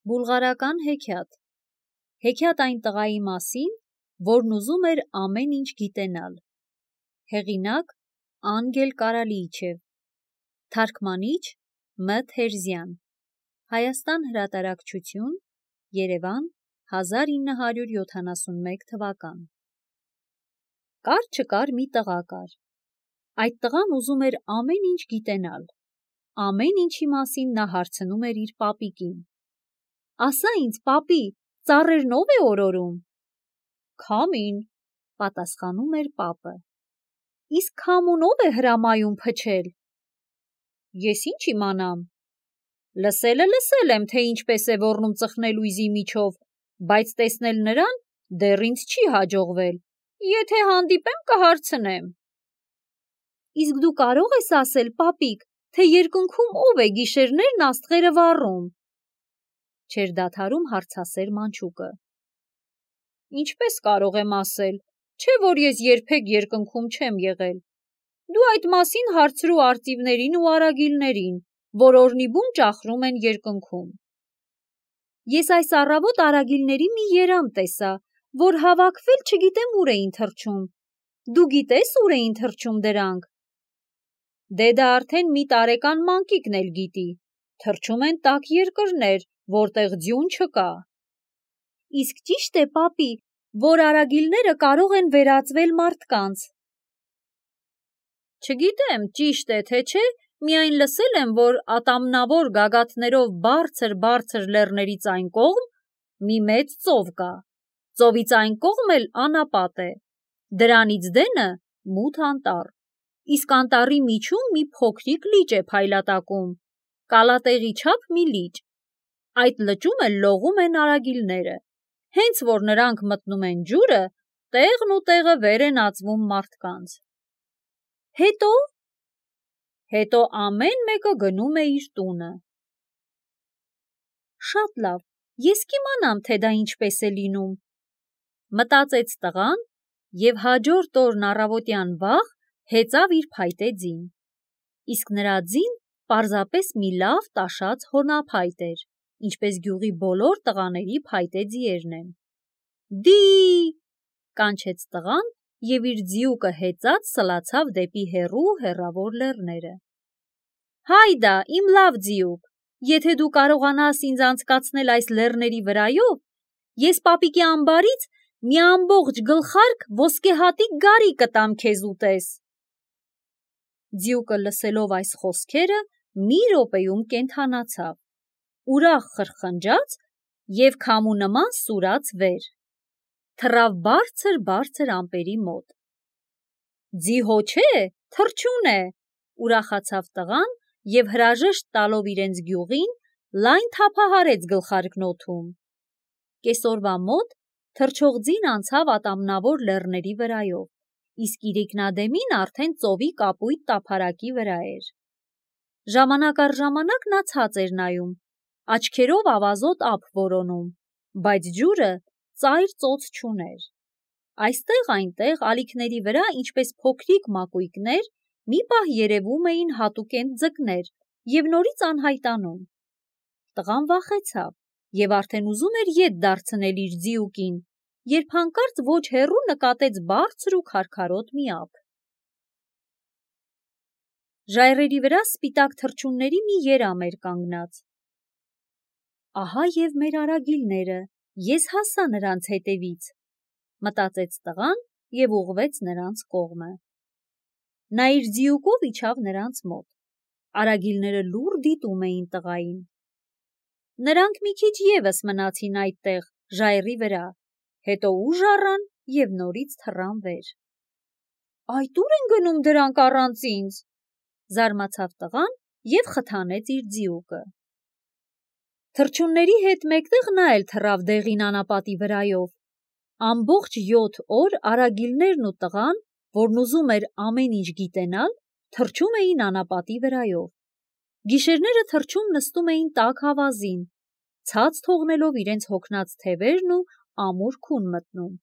Բուլղարական հեքիաթ։ Հեքիաթ այն տղայի մասին, որն ուզում էր ամեն ինչ գիտենալ։ Հեղինակ Անգել Կարալիիչև։ Թարգմանիչ Մ. Թերզյան։ Հայաստան հրատարակչություն, Երևան, 1971 թվական։ Կար չկար մի տղա կար։ Այդ տղան ուզում էր ամեն ինչ գիտենալ։ Ամեն ինչի մասին նա հարցնում էր իր պապիկին։ Ասա ինձ, պապի, ծառերն ով է օրորում։ Քամին, պատասխանում էր պապը։ Իսկ քամուն ով է հրամայում փչել։ Ես ինչ իմանամ։ Լսել եմ, թե ինչպես է ոռնում ծխնելույզի միջով, բայց տեսնել նրան դեռ ինձ չի հաջողվել։ Եթե հանդիպեմ, կհարցնեմ։ Իսկ դու կարող ես ասել, պապիկ, թե երկնքում ով է գիշերներն աստղերը վառում։ Չէր դադարում հարցասեր մանչուկը։ Ինչպես կարող եմ ասել, չէ որ ես երբեք երկնքում չեմ եղել։ Դու այդ մասին հարցրու արծիվներին ու արագիլներին, որ օրնիբուն ճախրում են երկնքում։ Ես այս առավոտ արագիլների մի երամ տեսա, որ հավաքվել չգիտեմ ուր էին թռչում։ Դու գիտես ուր էին թռչում դրանք։ Դե դա արդեն մի տարեկան մանկիկն էլ գիտի։ Թռչում են տաք երկրներ, որտեղ ձյուն չկա։ Իսկ ճիշտ է, պապի, որ արագիլները կարող են վերածվել մարդկանց։ Չգիտեմ, ճիշտ է, թե չէ, միայն լսել եմ, որ ատամնավոր գագաթներով բարձր լեռներից այն կողմ մի մեծ ծով կա։ Ծովից այն կողմ էլ անապատ է։ Դրանից դենը մութ անտառ։ Իսկ անտառի միջում մի փոքրիկ լիճ է փայլատակում, կալատեղի չափ մի լիճ։ Այդ լճում էլ լողում են արագիլները։ Հենց որ նրանք մտնում են ջուրը, տեղն ու տեղը վեր են ածվում մարդկանց։ Հետո ամեն մեկը գնում է իր տունը։ Շատ լավ, ես կիմանամ, թե դա ինչպես է լինում, մտածեց տղան և հաջորդ օրն առավոտյան վաղ հեծավ իր փայտե ձին։ Իսկ նրա ձին պարզապես մի լավ տաշած հոնափայտ էր, ինչպես գյուղի բոլոր տղաների փայտե ձիերն են։ Դի, կանչեց տղան և իր ձիուկը հեծած սլացավ դեպի հեռավոր լեռները։ Հայդա, իմ լավ ձիուկ, եթե դու կարողանաս ինձ անցկացնել այս լեռների վրայով, ես պապիկի ամբարից մի ամբողջ գլխարկ ոսկեհատիկ գարի կտամ քեզ ուտես։ Ձիուկը լսելով այս խոսքերը մի րոպեում կենդանացավ, ուրախ խրխնջաց և քամու նման սուրաց վեր։ Թռավ բարձր ամպերի մոտ։ Ձի հո չէ, թռչուն է, ուրախացավ տղան և հրաժեշտ տալով իրենց գյուղին, լայն թափահարեց գլխարկն օդում։ Կեսօրվա մոտ թռչող ձին անցավ ատամնավոր լեռների վրայով, իսկ իրիկնադեմին արդեն ծովի կապույտ տափարակի վրա էր։ Ժամանակ առ ժամանակ նա ցած էր նայում, աչքերով ավազոտ ափ որոնում, բայց ջուրը ծայր ծոց չուներ։ Այստեղ-այնտեղ ալիքների վրա, ինչպես փոքրիկ մակույկներ, մի պահ երևում էին հատուկենտ ձկներ և նորից անհայտանում։ Տղան վախեցավ և արդեն ուզում էր ետ դարձնել իր ձիուկին, երբ հանկարծ ոչ հեռու նկատեց բարձր ու քարքարոտ մի ափ։ Ժայռերի վրա սպիտակ թռչունների մի երամ էր կանգնած։ Ահա և մեր արագիլները, ես հասա նրանց հետևից, մտածեց տղան և ուղղվեց նրանց կողմը։ Նա իր ձիուկով իջավ նրանց մոտ։ Արագիլները լուռ դիտում էին տղային։ Նրանք մի քիչ ևս մնացին այդտեղ, ժայռի վրա, հետո ուժ առան և նորից թռան վեր։ Այդ ո՞ւր են գնում դրանք առանց ինձ, զարմացավ տղան և խթանեց իր ձիուկը։ Թռչունների հետ մեկտեղ նա էլ թռավ դեղին անապատի վրայով։ Ամբողջ 7 օր արագիլներն ու տղան, որն ուզում էր ամեն ինչ գիտենալ, թռչում էին անապատի վրայով։ Գիշերները թռչում նստում էին տաք ավազին, ցած թողնելով իրենց հոգնած թևերն ու ամուր քուն մտնում։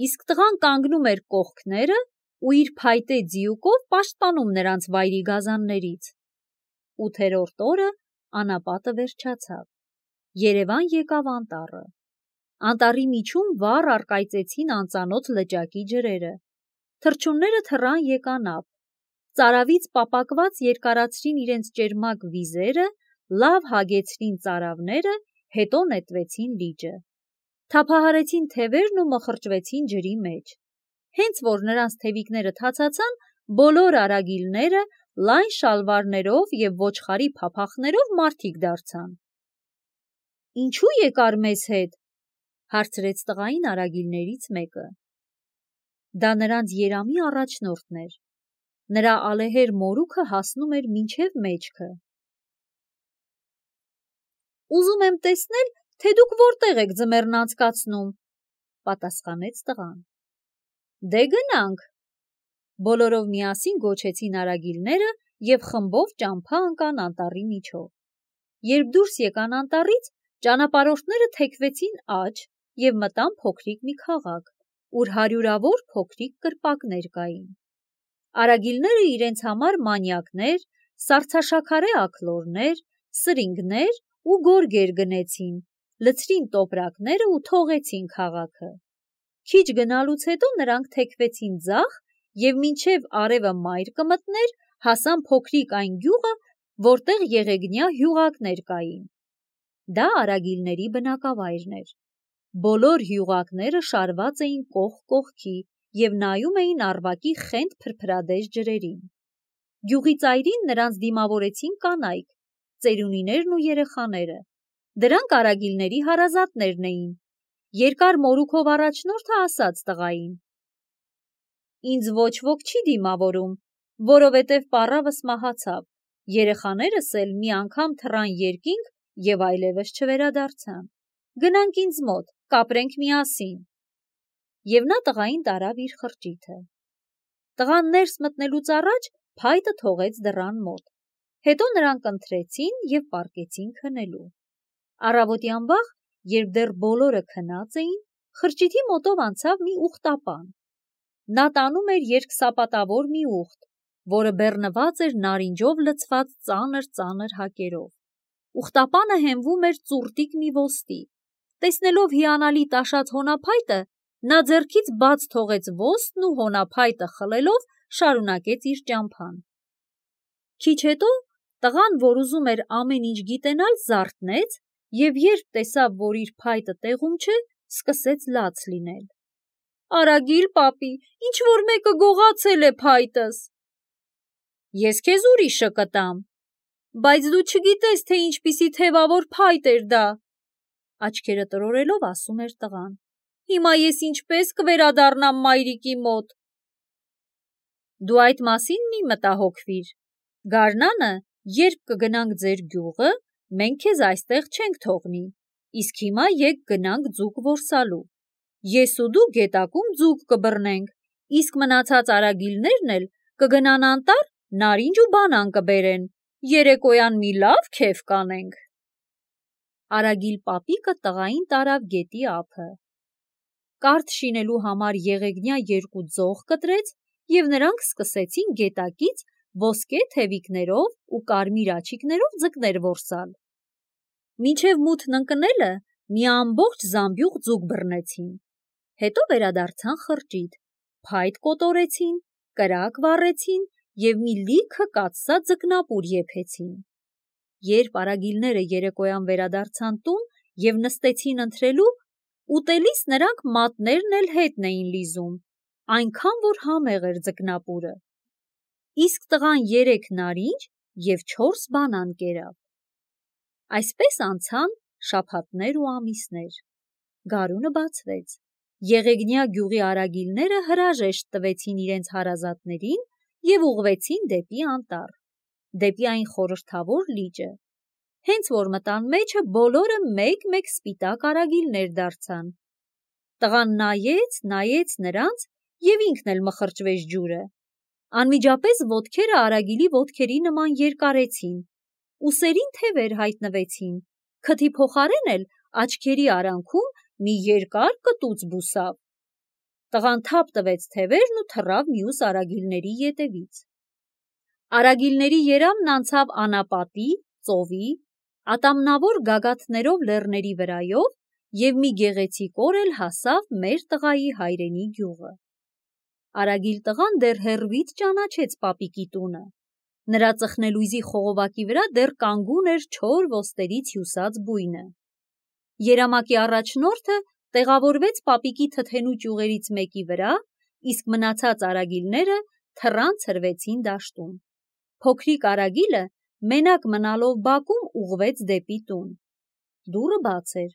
Իսկ տղան կանգնում էր կողքները ու իր փայտե ձիուկով պաշտպանում նրանց վայրի գազաններից։ 8-րդ օրը անապատը վերջացավ, Երևան եկավ անտառը։ Անտառի միջում վառ առկայծեցին անծանոթ լճակի ջրերը։ Թռչունները թռան եկան ափ։ Ծարավից պապակված երկարացրին իրենց ճերմակ վիզերը, լավ հագեցրին ծարավները, հետո նետվեցին լիճը։ Թափահարեցին թևերն ու մխրճվեցին ջրի մեջ։ Հենց որ նրանց թևիկները թացացան, բոլոր արագիլները լայն շալվարներով և ոչխարի փափախներով մարդիկ դարձան։ «Ինչու եկար մեզ հետ», հարցրեց տղային արագիլներից մեկը։ Դա նրանց երամի առաջնորդն էր։ Նրա ալեհեր մորուքը հասնում էր մինչև մեջքը։ «Ուզում եմ տեսնել, թե դուք որտեղ եք ձմեռն անցկացնում», պատասխանեց տղան։ «Դե գնանք», բոլորով միասին գոչեցին արագիլները և խմբով ճամփա ընկան անտառի միջով։ Երբ դուրս եկան անտառից, ճանապարհորդները թեքվեցին աջ և մտան փոքրիկ մի քաղաք, ուր հարյուրավոր փոքրիկ կրպակներ կային։ Արագիլները իրենց համար մանյակներ, սառցաշաքարե աքլորներ, սրինգներ ու գորգեր գնեցին, լցրին տոպրակները ու թողեցին քաղաքը։ Քիչ գնալուց հետո նրանք թեքվեցին ձախ և մինչև արևը մայր կմտներ, հասան փոքրիկ այն գյուղը, որտեղ եղեգնյա հյուղակներ կային։ Դա արագիլների բնակավայրն էր։ Բոլոր հյուղակները շարված էին կողք կողքի և նայում էին առվակի խենթ փրփրադեժ ջրերին։ Գյուղի ծայրին նրանց դիմավորեցին կանայք, ծերունիներն ու երեխաները։ Դրանք արագիլների հարազատներն էին։ Երկար մորուքով առաջնորդը ասաց տղային. «Ինձ ոչ ոք չի դիմավորում, որովհետև պառավս մահացավ, երեխաներս էլ մի անգամ թռան երկինք և այլևս չվերադարձան։ Գնանք ինձ մոտ, կապրենք միասին»։ Եվ նա տղային տարավ իր խրճիթը։ Տղան ներս մտնելուց առաջ փայտը թողեց դռան մոտ։ Հետո նրանք ընթրեցին և պառկեցին քնելու։ Առավոտյան վաղ, երբ դեռ բոլորը քնած էին, խրճիթի մոտով անցավ մի ուղտապան։ Նա տանում էր երկսապատավոր մի ուղտ, որը բեռնված էր նարինջով լցված ծանր հակերով։ Ուղտապանը հենվում էր ծուռտիկ մի ոսկի։ Տեսնելով հիանալի տաշած հոնափայտը, նա ձեռքից բաց թողեց ոսկն ու հոնափայտը խլելով շարունակեց իր ճամփան։ Քիչ հետո տղան, որ ուզում էր ամեն ինչ գիտենալ, զարթնեց և երբ տեսավ, որ իր փայտը տեղում չէ, սկսեց լաց լինել։ «Արագիլ պապի, ինչ-որ մեկը գողացել է փայտս»։ «Ես քեզ ուրիշը կտամ»։ «Բայց դու չգիտես, թե ինչպիսի թևավոր փայտ էր դա», աչքերը տրորելով ասում էր տղան։ «Հիմա ես ինչպես կվերադառնամ մայրիկի մոտ»։ «Դու այդ մասին մի մտահոգվիր։ Գարնանը, երբ կգնանք ձեր գյուղը, մենք քեզ այստեղ չենք թողնի, իսկ հիմա եկ գնանք ձուկ որսալու։ Ես ու դու գետակում ձուկ կբռնենք, իսկ մնացած արագիլներն էլ կգնան անտառ, նարինջ ու բանան կբերեն, երեկոյան մի լավ քեֆ կանենք»։ Արագիլ պապիկը տղային տարավ գետի ափը։ Կարթ շինելու համար եղեգնյա երկու ձող կտրեց և նրանք սկսեցին գետակից ոսկե թևիկներով ու կարմիր աջիկներով ձկներ որսալ։ Մինչև մութն ընկնելը մի ամբողջ զամբյուղ ձուկ բռնեցին։ Հետո վերադարձան խրճիթ, փայտ կոտորեցին, կրակ վառեցին և մի լիքը կաթսա ձկնապուր եփեցին։ Երբ արագիլները երեկոյան վերադարձան տուն և նստեցին ընթրելու, ուտելիս նրանք մատներն էլ հետն էին լիզում, այնքան որ համեղ էր ձկնապուրը։ Իսկ տղան 3 նարինջ և 4 բանան կերավ։ Այսպես անցան շաբաթներ ու ամիսներ։ Գարունը բացվեց։ Եղեգնյա գյուղի արագիլները հրաժեշտ տվեցին իրենց հարազատներին և ուղղվեցին դեպի անտառ, դեպի այն խորհրդավոր լիճը։ Հենց որ մտան մեջը, բոլորը մեկ-մեկ սպիտակ արագիլներ դարձան։ Տղան նայեց նրանց և ինքն էլ մխրճվեց ջուրը։ Անմիջապես ոտքերը արագիլի ոտքերի նման երկարեցին, ուսերին թևեր հայտնվեցին, քթի փոխարեն էլ աչքերի արանքում մի երկար կտուց բուսավ։ Տղան թափ տվեց թևերն ու թռավ մյուս արագիլների ետևից։ Արագիլների երամն անցավ անապատի, ծովի, ատամնավոր գագաթներով լեռների վրայով և մի գեղեցիկ օր էլ հասավ մեր տղայի հայրենի գյուղը։ Արագիլ տղան դեռ հեռվից ճանաչեց պապիկի տունը։ Նրա ծխնելույզի խողովակի վրա դեռ կանգուն էր չոր ոստերից հյուսած բույնը։ Երամակի առաջնորդը տեղավորվեց պապիկի թթենու ճյուղերից մեկի վրա, իսկ մնացած արագիլները թռան ցրվեցին դաշտում։ Փոքրիկ Արագիլը մենակ մնալով բակում ուղղվեց դեպի տուն։ Դուռը բաց էր,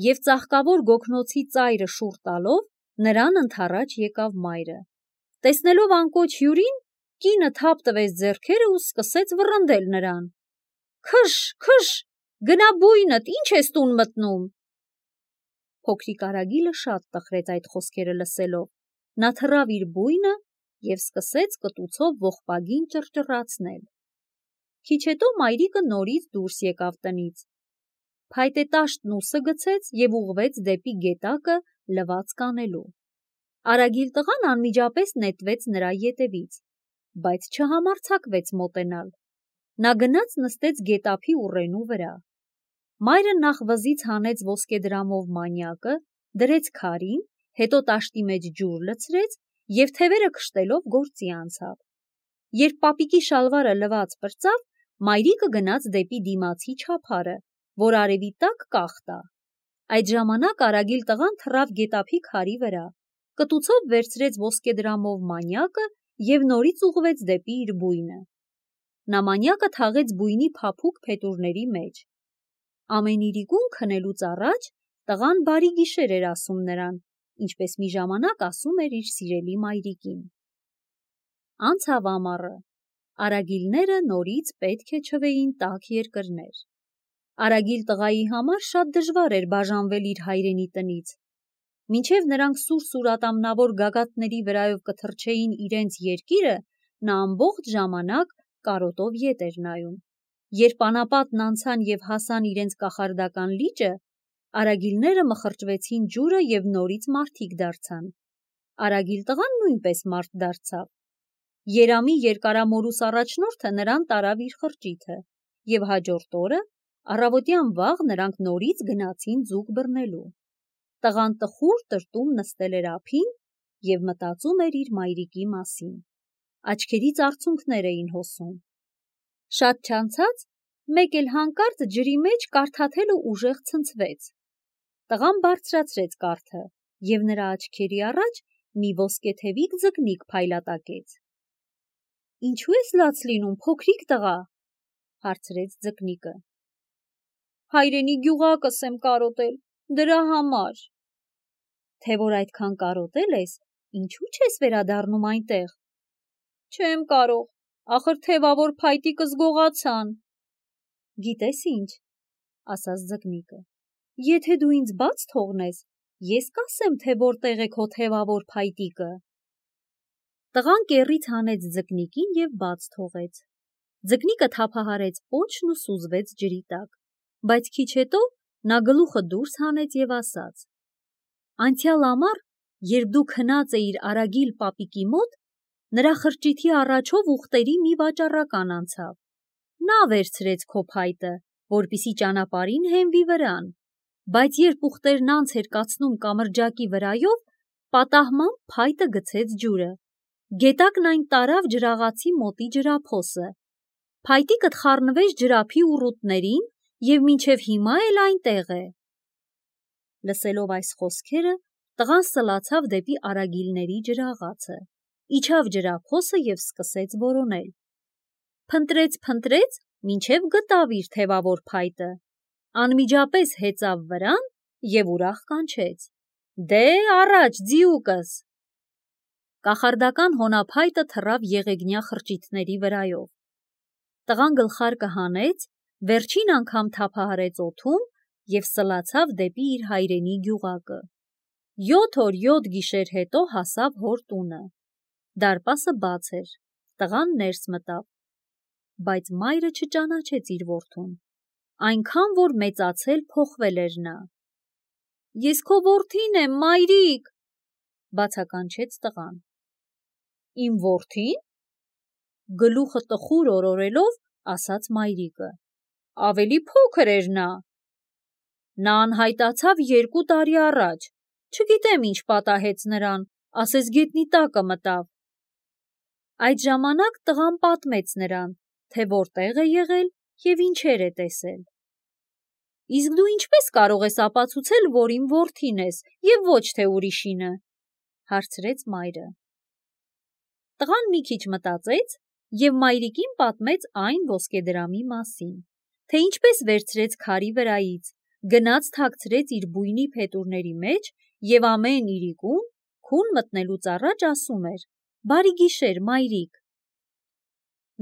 և ծաղկավոր գոգնոցի ծայրը շուռ տալով նրան ընդառաջ եկավ մայրը։ Տեսնելով անկոչ հյուրին, կինը թափ տվեց ձեռքերը ու սկսեց վռնդել նրան. «Քշ, քշ, գնա բույնդ, ինչ ես տուն մտնում»։ Փոքրիկ Արագիլը շատ տխրեց այդ խոսքերը լսելով։ Նա թռավ իր բույնը և սկսեց կտուցով ողբագին ճռճռացնել։ Քիչ հետո մայրիկը նորից դուրս եկավ տնից։ Փայտե տաշտն ուսը գցեց և ուղղվեց դեպի գետակը լվացք անելու։ Արագիլ տղան անմիջապես նետվեց նրա ետևից, բայց չհամարձակվեց մոտենալ։ Նա գնաց նստեց գետափի ուռենու վրա։ Մայրը նախ վզից հանեց ոսկեդրամով մանյակը, դրեց քարին, հետո տաշտի մեջ ջուր լցրեց և թևերը քշտելով գործի անցավ։ Երբ պապիկի շալվարը լված պրծավ, մայրիկը գնաց դեպի դիմացի չափարը, որ արևի տակ կախ տա։ Այդ ժամանակ Արագիլ տղան թռավ գետափի քարի վրա, կտուցով վերցրեց ոսկեդրամով մանյակը և նորից ուղղվեց դեպի իր բույնը։ Նա մանյակը թաղեց բույնի փափուկ փետուրների մեջ։ Ամեն իրիկուն քնելուց առաջ տղան բարի գիշեր էր ասում նրան, ինչպես մի ժամանակ ասում էր իր սիրելի մայրիկին։ Անցավ ամառը։ Արագիլները նորից պետք է չվեին տաք երկրներ։ Արագիլ տղայի համար շատ դժվար էր բաժանվել իր հայրենի տնից։ Մինչև նրանք սուր ատամնավոր գագաթների վրայով կթռչեին իրենց երկիրը, նա ամբողջ ժամանակ կարոտով ետ էր նայում։ Երբ անապատն անցան և հասան իրենց կախարդական լիճը, արագիլները մխրճվեցին ջուրը և նորից մարդիկ դարձան։ Արագիլ տղան նույնպես մարդ դարձավ։ Երամի երկարամորուս առաջնորդը նրան տարավ իր խրճիթը, և հաջորդ օրը առավոտյան վաղ նրանք նորից գնացին ձուկ բռնելու։ Տղան տխուր տրտում նստել էր ափին և մտածում էր իր մայրիկի մասին։ Աչքերից արցունքներ էին հոսում։ Շատ չանցած մեկ էլ հանկարծ ջրի մեջ կարթաթելը ուժեղ ցնցվեց։ Տղան բարձրացրեց կարթը, և նրա աչքերի առաջ մի ոսկեթևիկ ձկնիկ փայլատակեց։ «Ինչու ես լաց լինում, փոքրիկ տղա», հարցրեց ձկնիկը։ «Հայրենի գյուղակս եմ կարոտել, դրա համար»։ Թե որ այդքան կարոտել ես, ինչու չես վերադառնում այնտեղ։ Չեմ կարող, ախր թևավոր փայտիկս գողացան։ Գիտես ինչ, ասաց ձկնիկը, եթե դու ինձ բաց թողնես, ես կասեմ, թե որտեղ է քո թևավոր փայտիկը։ Տղան կեռից հանեց ձկնիկին և բաց թողեց։ Ձկնիկը թափահարեց պոչն ու սուզվեց ջրի տակ, բայց քիչ հետո նա գլուխը դուրս հանեց և ասաց. «Անցյալ ամառ, երբ դու քնած էիր Արագիլ պապիկի մոտ, նրա խրճիթի առաջով ուղտերի մի վաճառական անցավ։ Նա վերցրեց քո փայտը, որպեսզի ճանապարհին հենվի վրան, բայց երբ ուղտերն անց էր կացնում կամրջակի վրայով, պատահմամբ փայտը գցեց ջուրը։ Գետակն այն տարավ ջրաղացի մոտի ջրափոսը։ Փայտիկդ խառնվեց ջրափի ուռութներին և մինչև հիմա էլ այնտեղ է»։ Լսելով այս խոսքերը, տղան սլացավ դեպի արագիլների ջրաղացը, իջավ ջրափոսը և սկսեց որոնել։ Փնտրեց, մինչև գտավ իր թևավոր փայտը, անմիջապես հեծավ վրան և ուրախ կանչեց. «Դե առաջ, ձիուկս»։ Կախարդական հոնափայտը թռավ եղեգնյա խրճիթների վրայով։ Տղան գլխարկը հանեց, վերջին անգամ թափահարեց օդում և սլացավ դեպի իր հայրենի գյուղակը։ 7 օր 7 գիշեր հետո հասավ հոր տունը։ Դարպասը բաց էր, տղան ներս մտավ, բայց մայրը չճանաչեց իր որդուն, այնքան որ մեծացել փոխվել էր նա։ «Ես քո որդին եմ, մայրիկ», բացականչեց տղան։ «Իմ որդի՞ն», գլուխը տխուր օրորելով ասաց մայրիկը։ ավելի փոքր էր նա։ Նա անհայտացավ 2 տարի առաջ, չգիտեմ ինչ պատահեց նրան, ասես գետնի տակը մտավ։ Այդ ժամանակ տղան պատմեց նրան, թե որտեղ է եղել և ինչեր է տեսել։ Իսկ դու ինչպես կարող ես ապացուցել, որ իմ որդին ես և ոչ թե ուրիշինը, հարցրեց մայրը։ Տղան մի քիչ մտածեց և մայրիկին պատմեց այն ոսկեդրամի մասին, թե ինչպես վերցրեց քարի վրայից, գնաց թաքցրեց իր բույնի փետուրների մեջ և ամեն իրիկուն քուն մտնելուց առաջ ասում էր. «Բարի գիշեր, մայրիկ»։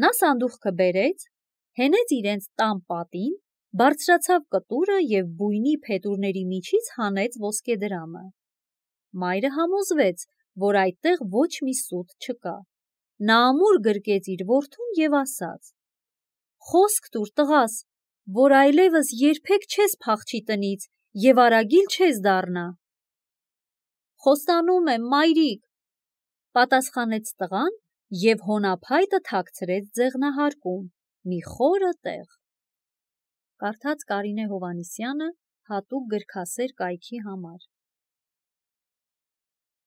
Նա սանդուղքը բերեց, հենեց իրենց տան պատին, բարձրացավ կտուրը և բույնի փետուրների միջից հանեց ոսկեդրամը։ Մայրը համոզվեց, որ այդտեղ ոչ մի սուտ չկա։ Նա ամուր գրկեց իր որդուն և ասաց. «Խոսք տուր, տղաս, որ այլևս երբեք չես փախչի տնից և արագիլ չես դառնա»։ «Խոստանում եմ, մայրիկ», պատասխանեց տղան և հոնափայտը թաքցրեց ձեղնահարկում, մի խորը տեղ։ Կարդաց Կարինե Հովհաննիսյանը հատուկ գրքասեր կայքի համար։